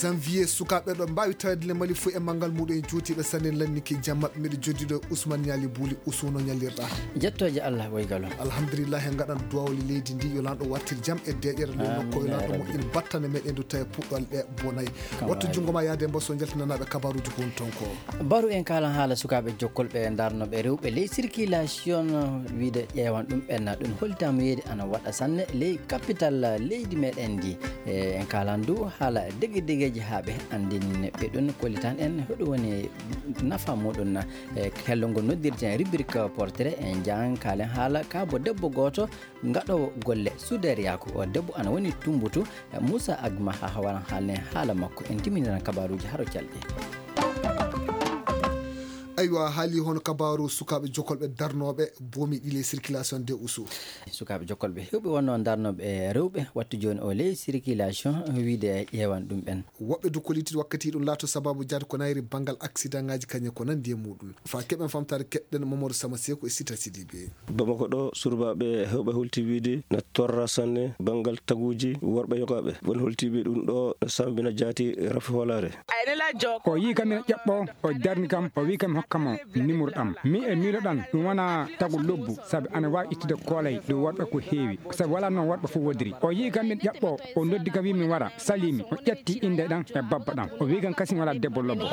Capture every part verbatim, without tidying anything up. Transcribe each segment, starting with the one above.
Janvier, sukaaɓe ɗo mbaawi tawede le Mali fof e manngal muɗum en juutiiɓe sanne lanniki jam maɓɓe. Miɗo joddiɗo e Ousmane Ñaali Buuli. Ousou, no ñallirɗa? Jettooje Allah, woygalo. Alhamdulillah, en ngaɗan duwawle leydi ndi, yo lanɗo wartir jam e deeƴere ley nokko, yo lanɗo moƴƴin battane meɗen du tawi puɗɗol ɗe bonay. Wattu junngo ma yaade mbo so njaltinanaaɓe kabaruuji ko woni toon ko. Baru en kaalan haala sukaaɓe jokkolɓe darnooɓe rewɓe ley circulation, wiide ƴeewan ɗum ɓenna ɗum holtitaama yeeyde ana waɗa sanne ley capital leydi meɗen ndi. E, en kaalan du haala dege degeeji haa ɓe anndin ɓe ɗum kollitan en hoɗum woni nafa muɗum. E, hello ngo noddirten rubrique portrait en jaan kaalen haala kaabo debbo gooto ngaɗoowo golle suudeeriyaaku. O debbo ana woni Tumbutu, e, Moussa Agma haa waran haalne haala makko. En timminiran kabaruuji haro calɗi. Aywa, haali hono kabaaru sukaaɓe jokolɓe darnooɓe boomi ɗi ley circulation de Ousou. Sukaaɓe jokolɓe heewɓe wonno darnooɓe rewɓe wattu jooni o ley circulation wiide ƴeewan ɗum ɓen. Woɓɓe du kolliti wakkati ɗum laato sababu jaade ko nayri banngal accident ngaji kañe ko nandi e muɗum. Fa keɓen famtaade keɗɗen Mamadou Sama Seku e Sita Sidibé. Bamako ɗo, surbaaɓe heewɓe holti wiide na torra sanne banngal taguuji worɓe yogaaɓe. Won holtiiɓe ɗum ɗo no sambina jaati rafi hoolaare. O yii kam ina ƴaɓɓoo, o darni kam, o wii kam hokka mo nimuru ɗam. Mi e miilo ɗam, ɗum wona tagu lobbu, sabi ana waawi ittude koolay ɗo worɓe ko heewi, sabi walaa noon worɓe fof wodiri. O yii kam ina ƴaɓɓoo, o noddi kam wii mi wara, salii mi, o ƴetti innde ɗam e babba ɗam. O wii kam kasin walaa debbo lobbo.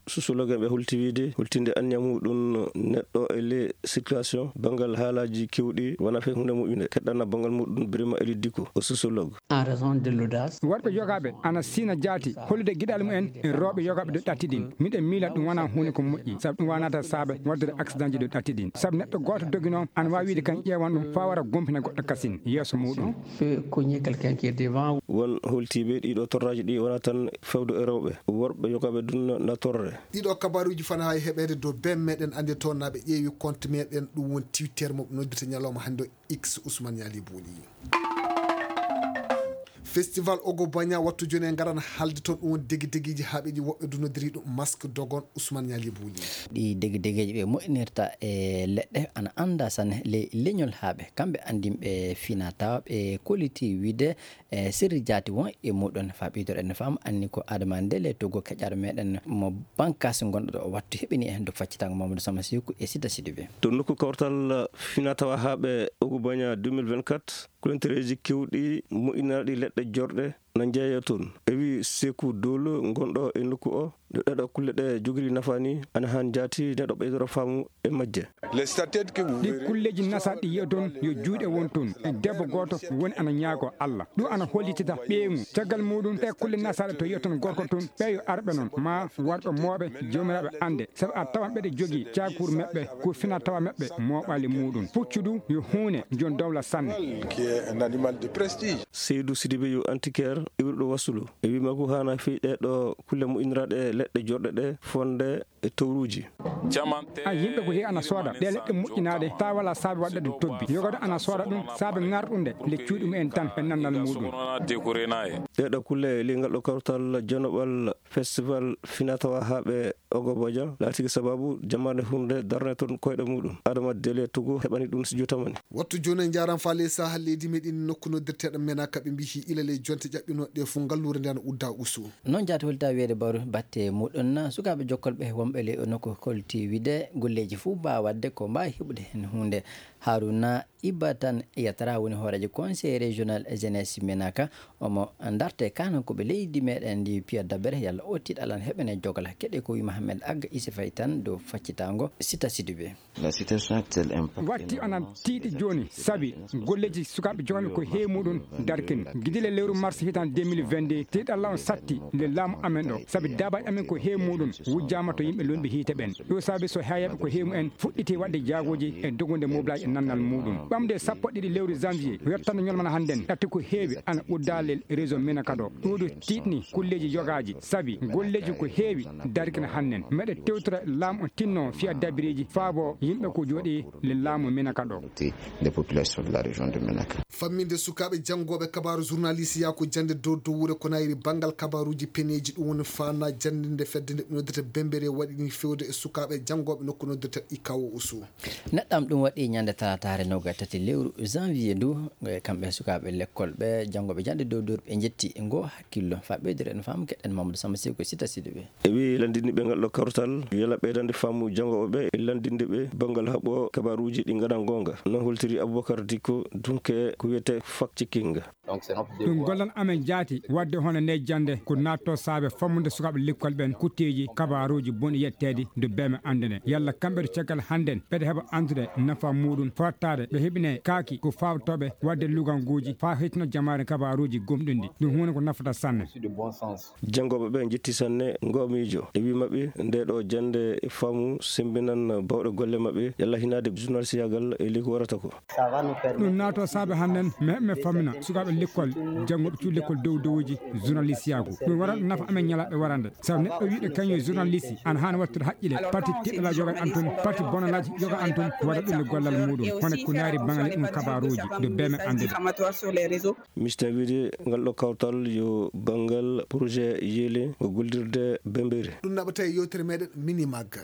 Sociologue en ɓe holti wiide, holtinde anniya muɗum neɗɗo e le circulation, banngal haalaaji keewɗi, wonaa fay huunde moƴƴunde. Keɗɗana banngal muɗum Birima Eli Diko, o sociologue. En raison de l'audace. Worɓe yogaaɓe ana siina jaati hollude giɗal mumen e rewɓe yogaaɓe ɗo ɗatti ɗin. Miɗen miila ɗum wonaa huunde ko moƴƴi, sabu ɗum waanata saabe waɗdude accident ji ɗo ɗatti ɗin. Sabu neɗɗo gooto doginoo ana waawi wiide kan ƴeewan ɗum faa wara gompina goɗɗo kasin yeeso muɗum. Peut cogner quelqu'un qui est devant. Won holtiiɓe ɗiɗo torraaji ɗi wonaa tan fewdo e rewɓe, worɓe yogaaɓe ɗum na torre. Ɗiɗo kabaruuji fana haa e heɓeede dow bem meɗen annde toon na ɓe ƴeewi compte meɗen, ɗum won Twitter mo ɓe noddirta ñalawma hannde o X, Ousmane Ñaali Buuli. Festival Ogo Baña wattu jooni en ngaran haalde toon ɗum won degi degiiji haa ɓe ɗi woɓɓe du noddiri ɗum masque dogon Ousmane Ñaali Buuli. Ɗi degi degiiji ɓe moƴƴinirta e leɗɗe ana annda sanne ley leñol haa ɓe kamɓe anndinɓe fina tawa ɓe kolliti wiide e sirri jaati won e muɗum. Fa ɓeydoɗen no faama anni ko Adama Ndele Togo keƴaɗo meɗen mo bankas gonɗo ɗo o wattu heɓini en do faccitango Mamadou Sama Siku e Sita Sidibé. To nokku kawtal fina tawa haaɓe Ogo Baña deux mille vingt-quatre, kulantereeji kewɗi moƴƴinaaɗi leɗɗe jorɗe na njeeya toon. E wi Seku Dolo gonɗo e nokku o, ɗo ɗeɗo kulle ɗe jogiri nafaani, ana haan jaati neɗɗo ɓeydoro faamu e majje. Ɗi kulleeji nasaaɗi yiya toon yo juuɗe won toon. Debbo gooto woni ana ñaago Allah. Ɗum ana hollitita ɓeyngu. Caggal muɗum ɗe kulle nasaaɗe to yiya toon gorko toon, ɓe yo arɓe noon. Ma worɓe mooɓe joomiraaɓe annde. Sabu a tawan ɓeɗe jogii caakuur meɓɓe, ko fina tawa meɓɓe mooɓaali muɗum. Puccu du yo huune jon dowla sanne. Qui est un animal de prestige. Seydou Sidibé yo antiquaire iwruɗo Wasulu. E wi makko haana fii ɗe ɗo kulle moƴƴiniraaɗe leɗɗe jorɗe ɗe fonde e towruuji. A yimɓe ko heewi ana sooda ɗe leɗɗe moƴƴinaaɗe, taa wala saabe waɗde ɗum tobbi. Yogoto ana sooda ɗum saabe ŋarɗunde le cuuɗi mumen tan e nannal muɗum. Ɗeɗo kulle e lingal ɗo kawtal janoɓal festival finatawa haaɓe Ogo Boja laatiki sababu jamaane hunde darne toon koyɗe muɗum. Adama Dele Togo heɓani ɗum studio tamani. Wattu jooni en njaran faale saha leydi meɗen nokku noddirteɗo Menaka ɓe mbihi ilale jonte ƴaɓɓinoɗe fof ngalluure nde ana udda usu. Noon jaati holta wiyeede bawru batte muɗum na sukaaɓe jokkolɓe wonɓe ley o nokku holti wiide golleeji fof mbaawa waɗde ko mbaawi heɓude heen huunde. Haruna Iba Tan Yatara woni hooreejo conseil régional jeunesse Menaka. Omo ndarte kanankoɓe leydi meɗen ndi Pierre Dabere yalla o tiiɗalan heɓene jogal keɗe ko wi Mohamed Agga Isi Fay tan dow faccitaango Sita Sidibé. Watti onon tiiɗi jooni sabi golleeji sukaaɓe joganɓe ko heewi muɗum darkin. Gidile lewru mars hitan deux mille vingt-deux, tiiɗalla on satti nde laamu amen ɗo, sabi daabaaji amen ko heewi muɗum wujjaama to yimɓe lonɓe hiite ɓen. Ɗo saabi so heeyaɓe ko heewi mumen fuɗɗiti waɗde jaagooji e dogunde moblaaji e nannal muɗum. Ɓamde sappo ɗiɗi lewru janvier, yottanɗo ñolmana hannden, ɗatti ko heewi ana uddaale réseau Minaka ɗo. Ɗuuɗu tiiɗni kulleeji yogaaji, sabi golleeji ko heewi darkina hannden. Meɗe tewtora laamu o tinno fiya dabireeji faabo yimɓe ko jooɗi le laamu Minaka ɗo. Des populations de la région de Menaka. Famminde sukaaɓe janngooɓe kabaaru journaliste yaa ko jannde dow dowwure ko nayri banngal kabaaruuji peneeji ɗum woni faana jannde Nde fedde nde noddirta Bembere waɗi ni fewde e sukaaɓe janngooɓe nokku noddirta Ikawo Usu. Neɗɗam ɗum waɗi ñande talataare noga tati lewru janvier ndu, e kamɓe sukaaɓe lekkol ɓe janngooɓe jannde dow dow ɓe njetti ngo hakkillo. Fa ɓeydere en faamu keɗen Mamadou Samba Seko Sita Sidiɓe. E wi landinɓe ngal ɗo kawtal, yela ɓeydande faamu janngooɓe ɓe, e landinde ɓe banngal haɓo kabaruuji ɗi ngaɗa ngoonga. No holtiri Aboubacar Dikko, dunke ko wiyete fact checking. Ɗum gollal amen jaati waɗde hono nde jannde ko naatto saabe fammude sukaaɓe lekkol ɓen kutteeji kabaruuji bonɗi yetteede nde beme anndude. Yalla kamɓe to caggal hannden ɓeɗe heɓa anndude nafa muɗum fottaade ɓe heɓine kaaki ko fawtooɓe waɗde luganguuji faa hetino jamaare kabaruuji gomɗinɗi. Ɗum huunde ko nafata sanne. Janngooɓe ɓe njetti sanne ngo miijo. E wi maɓɓe, nde ɗo jannde e faamu sembinan bawɗe golle maɓɓe, yalla hinaade journalistiyaagal e leydi ko warata ko. Ɗum naato saabe hannden, mi heɓ mi famina sukaaɓe lekkol, jannguɓe cuuɗi lekkol dow dowuji journalistiyaagu. Ɗum waɗa ɗum nafa amen ñalaaɓe warande. Sabu neɗɗo wiiɗo kañum journaliste, ana haani wattude haqqile, pati teɗɗalaaji yoga antum, pati bonalaaji yoga antum, waɗa ɗum e gollal muɗum. Hono ko naari baŋale ɗum kabaruuji, nde beme anndude. Mista wiide ngal ɗo kawtal yo banngal projet yeele o gollirde Bembere. Ɗum naɓata e yewtere meɗen Minimag.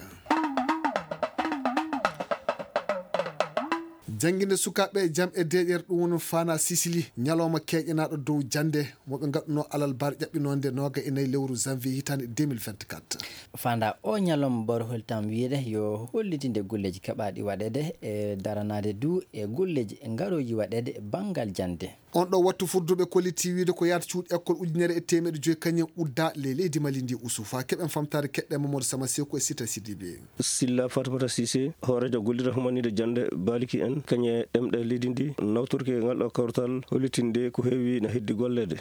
Jannginde sukaaɓe jam e deeƴere ɗum woni Fana Sisili, ñalawma keeƴanaaɗo dow jannde mo ɓe ngaɗunoo alal bar ƴaɓɓinoonde nooga e nayi lewru janvier hitaande deux mille vingt-quatre. Fanda o ñalawma bor holtam wiyede yo hollitinde golleeji keɓaaɗi waɗeede e daranaade du e golleeji ngarooji waɗeede banngal jannde. On ɗo wattu fudduɓe kolliti wiide ko yaata cuuɗi école ujunere e teemeɗe joyi kañum udda le leydi Mali ndi usu. Fa keɓen famtaade keɗɗe Mamadou Sama Seku e Sita Sidibe. Silla Fatimata Sise, hooreejo gollirde humanide jannde baaliki en, kañe ɗemɗe leydi ndi, nawtorki e ngal ɗo kawtal, hollitinde ko heewi na heddi golleede.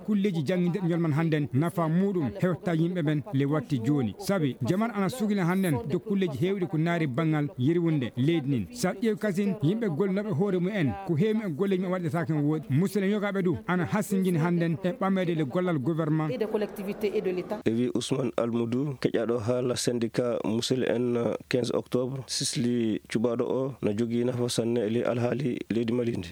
Kulleeji janngindirɗi ñalman hannden, nafa muuɗum hewta yimɓe ɓen le watti jooni. Sabi, jaman ana sugina hannden dow kulleeji heewɗi ko naari banngal yirwunde leydi ndin. Sa ƴeew kasin, yimɓe gollinooɓe hoore mumen, ko heewi e golleeji maɓɓe waɗetaake no woodi. Musidɓe yogaaɓe du ana hasingini hannden e ɓameede le gollal gouvernement. E wi Ousmane Almoudou, keƴaaɗo haala syndicat musidɓe en, quinze octobre, sisli cuɓaaɗo o na jogii nafa sanne e ley alhaali leydi Mali ndi.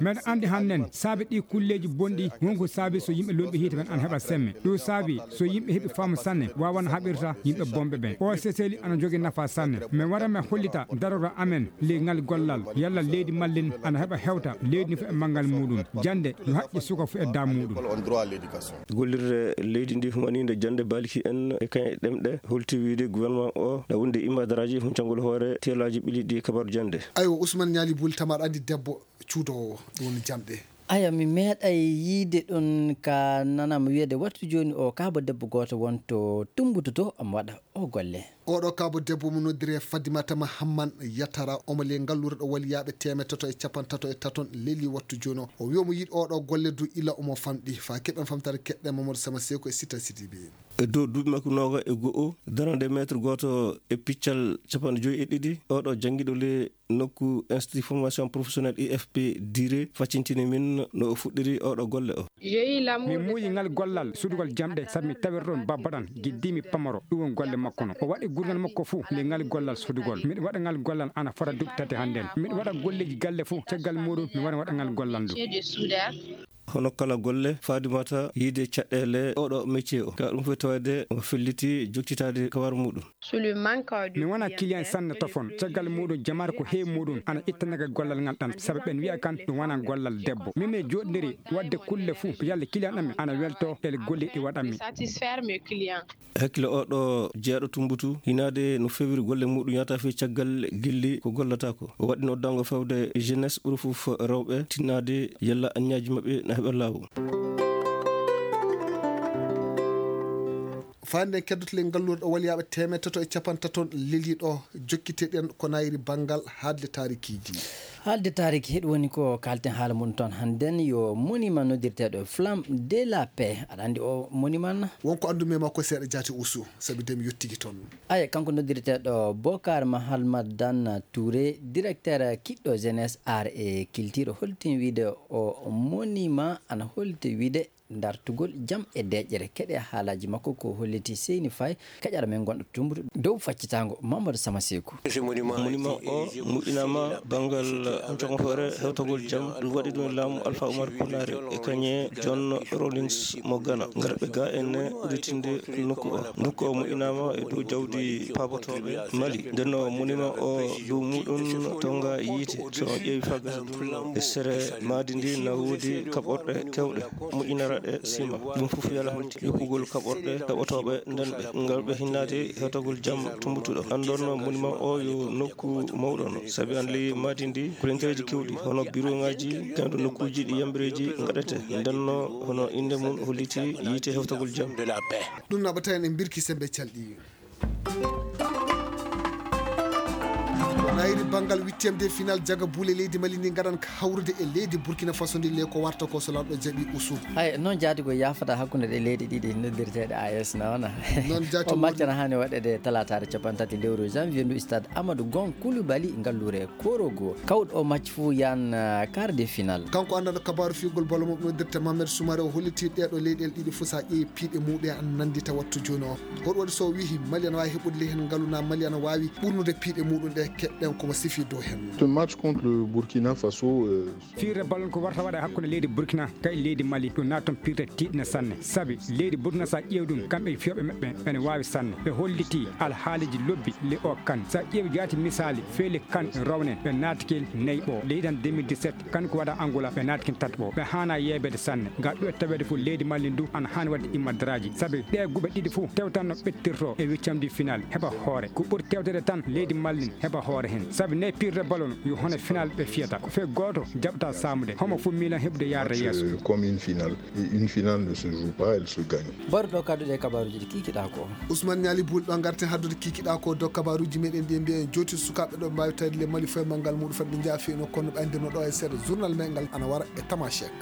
Meɗen anndi hannden saabi ɗi kulleeji bonɗi wonko saabi so yimɓe lomɓe hiite men ana heɓa semme. Ɗum saabi so yimɓe heɓi faamu sanne waawan haɓirta yimɓe bonɓe ɓen. O seseli ana jogii nafa sanne. Men wara men hollita darora amen ley ngal gollal. Yalla leydi Mali ndin ana heɓa hewta leydi ndi fof e manngal muuɗum. Jannde yo haqqe suka fof e dam muuɗum. Gollirde leydi ndi humaniinde jannde baaliki en e kañe ɗemɗe holti wiide gouvernement o na wondi e imadaraaji huncangol hoore teelaaji ɓili ɗi kabaru jannde. Aywa, Ousmane Ñaali Buli, tama aɗa anndi debbo cuudoowo ɗum woni jamɗe. Aya, mi meeɗay yiide ɗum ka nanam wiyeede wattu jooni o kaaba debbo gooto wonto tumbututo omo waɗa o golle. Oɗo kaabo debbo mo noddire Fadimata Mahamman Yatara, omo le ngalluure ɗo waliyaaɓe teemeɗe tato e capanɗe tato e taton leli wattu jooni o. O wi omo yiɗi oɗo golle du ila omo famɗi. Fa keɓen famtare keɗɗe Mamadou Sama Seko e Sita Sidibe. E dow duuɓi makko nooga e go'o, darande mètre gooto e piccal capanɗe joyi e ɗiɗi, oɗo janngiɗo le nokku Institut Formation Professionnelle I F P Dire faccintini min no o fuɗɗiri oɗo golle o. Min muuyi ngal gollal sudugol jamɗe sabu mi tawiri ɗon babba ɗan giddimi pamaro, ɗum won golle makko no. O waɗi gurnal makko fuu nde ngal gollal sudugol. Miɗo waɗa ngal gollal ana fota duuɓi tati hannden. Miɗo waɗa golleeji galle fuu caggal muuɗum mi wara waɗa ngal gollal ndu. Hono kala golle, Fadimata yiide caɗeele oɗo métier o. Ka ɗum fof tawde o felliti joktitaade kawar muuɗum. Mi wona client sanne tofon, caggal muuɗum jamaare ko heewi muuɗum ana ittanaga gollal ngal ɗan, sabu ɓen wi'a kan ɗum wona gollal debbo. Min mi jooɗndiri waɗde kulle fuu, yalla client ɗam mi ana welto e golle ɗi waɗanmi. Hakkille oɗo jeyaɗo tumbutu, hinaade no fewiri golle muuɗum yahata fii caggal gilli ko gollata ko. O waɗi noddango fewde jeunesse ɓuri fof rewɓe tinnaade yalla aññaaji maɓɓe na heɓa laawol. Faande en keddoto le ngalluure ɗo waliyaaɓe teemeɗe tato e capanɗe tato leliiɗo jokkite ɗen ko nayri banngal haalde taarikiiji. Haalde taariki heɗi woni ko kaalten haala mum toon hannden yo monument noddirteeɗo Flamme de la Paix. Aɗa anndi o monument na? Wonko anndumi e makko seeɗa jaati usu, sabi de mi yottiki toon. Aya, kanko noddirteeɗo Bokar Mahalmadan Touré, directeur kiɗɗo jeunesse, art et culture, holtin wiide o monument ana holti wiide dartugol jam e deeƴere. Keɗe haalaaji makko ko holliti Seyni Faye, kaƴara men gonɗo tumbutu dow faccitaango Mamadou Sama Seku. Monument o moƴƴinaama banngal Joom hoore hewtagol jam ɗum waɗi ɗum e laamu Alpha Oumar Konaré e kañe John Rawlings mo Ghana. Ngarɓe ga en udditinde nokku o. Nokku o moƴƴinaama e dow jawdi paabotooɓe Mali. Nden no monument o dow muɗum tonga yiite. So on ƴeewi faa gasa ɗum e sere maadi ndi na woodi kaɓorɗe kewɗe moƴƴinaraɗe sima. Ɗum fof yala holti yokkugol kaɓorɗe kaɓotooɓe nden ɓe ngal ɓe hinnaade hewtagol jam tumbutuɗo. Anndon monument o yo nokku mawɗo no. Sabi an ley maadi ndi, kolinteeji kewɗi, hono biroŋaaji, kayɗo nokkuuji ɗi yambireeji ngaɗete. Nden no hono innde mum holliti yiite hewtagol jam. Ɗum naɓata en e mbirki sembe calɗi. Nayri banngal huitième de final jaga buule leydi Mali ndi ngaɗan ka hawrude e leydi Burkina Faso ndi le ko warta ko so lanɗo jaɓi usu. Ay, noon jaadi ko yaafata hakkunde ɗe leyɗe ɗiɗi noddirteeɗe A E S na wona. Noon jaati o match na haani waɗede talaataare capanɗe tati lewru janvier ndu stade Amadou Gon Coulibaly ngalluure Korogo. Kawɗo o match fuu yan ah, quart de final. Kanko anndanɗo kabaaru fiyugol bolo mum noddirte Mamed Soumare o holliti ɗeeɗo leyɗeele ɗiɗi fof so a ƴeewi piiɗe muɓe an nanndita wattu jooni o. Hoɗum waɗi so o wiyi Mali ana waawi heɓude ley heen ngalu na Mali ana waawi ɓurnude piiɗe muɗum ɗe keɗɗen komo sifi dow heen. Ce match contre le Burkina Faso, euh, Fiirde ballon ko warta waɗa hakkunde leydi Burkina kay leydi Mali ɗum naata toon piirde tiiɗnde sanne sabi leydi Burkina so a ƴeewi ɗum kamɓe e fiyooɓe maɓɓe ene waawi sanne ɓe hollitii alhaaliji lobbi le o kan so a ƴeewi jaati misaali feele kan rownen ɓe naatkel nayi ɓo leydi an deux mille dix-sept kan ko waɗa Angola ɓe naatkin tati ɓo ɓe haana yeebeede sanne ngam ɗum e taweede fof leydi Mali ndu ana haani waɗde immadraaji sabi ɗe guɓe ɗiɗi fof tewtanno ɓettirto e huitième final heɓa hoore ko ɓuri tewtede tan leydi Mali heɓa hoore heen sabi nde piirde ballon yo hono final ɓe fiyata ko fee gooto jaɓata saamude homo fof miilan heɓude yaarde yeeso. Comme une finale et une finale ne se joue pas, elle se gagne. Mbaruɗo kadduɗe e kabaruji ɗi kikiɗa ko. Ousmane Niali Boul ɗo garten haddude kikiɗa ko dow kabaruji meɗen ɗi mbiyen joti sukaɓe ɗo mbawi tawde le Mali foye manngal muɗum fadde jaafi no kono ɓe andirno ɗo e seeɗa journal men ngal ana wara e tamashek.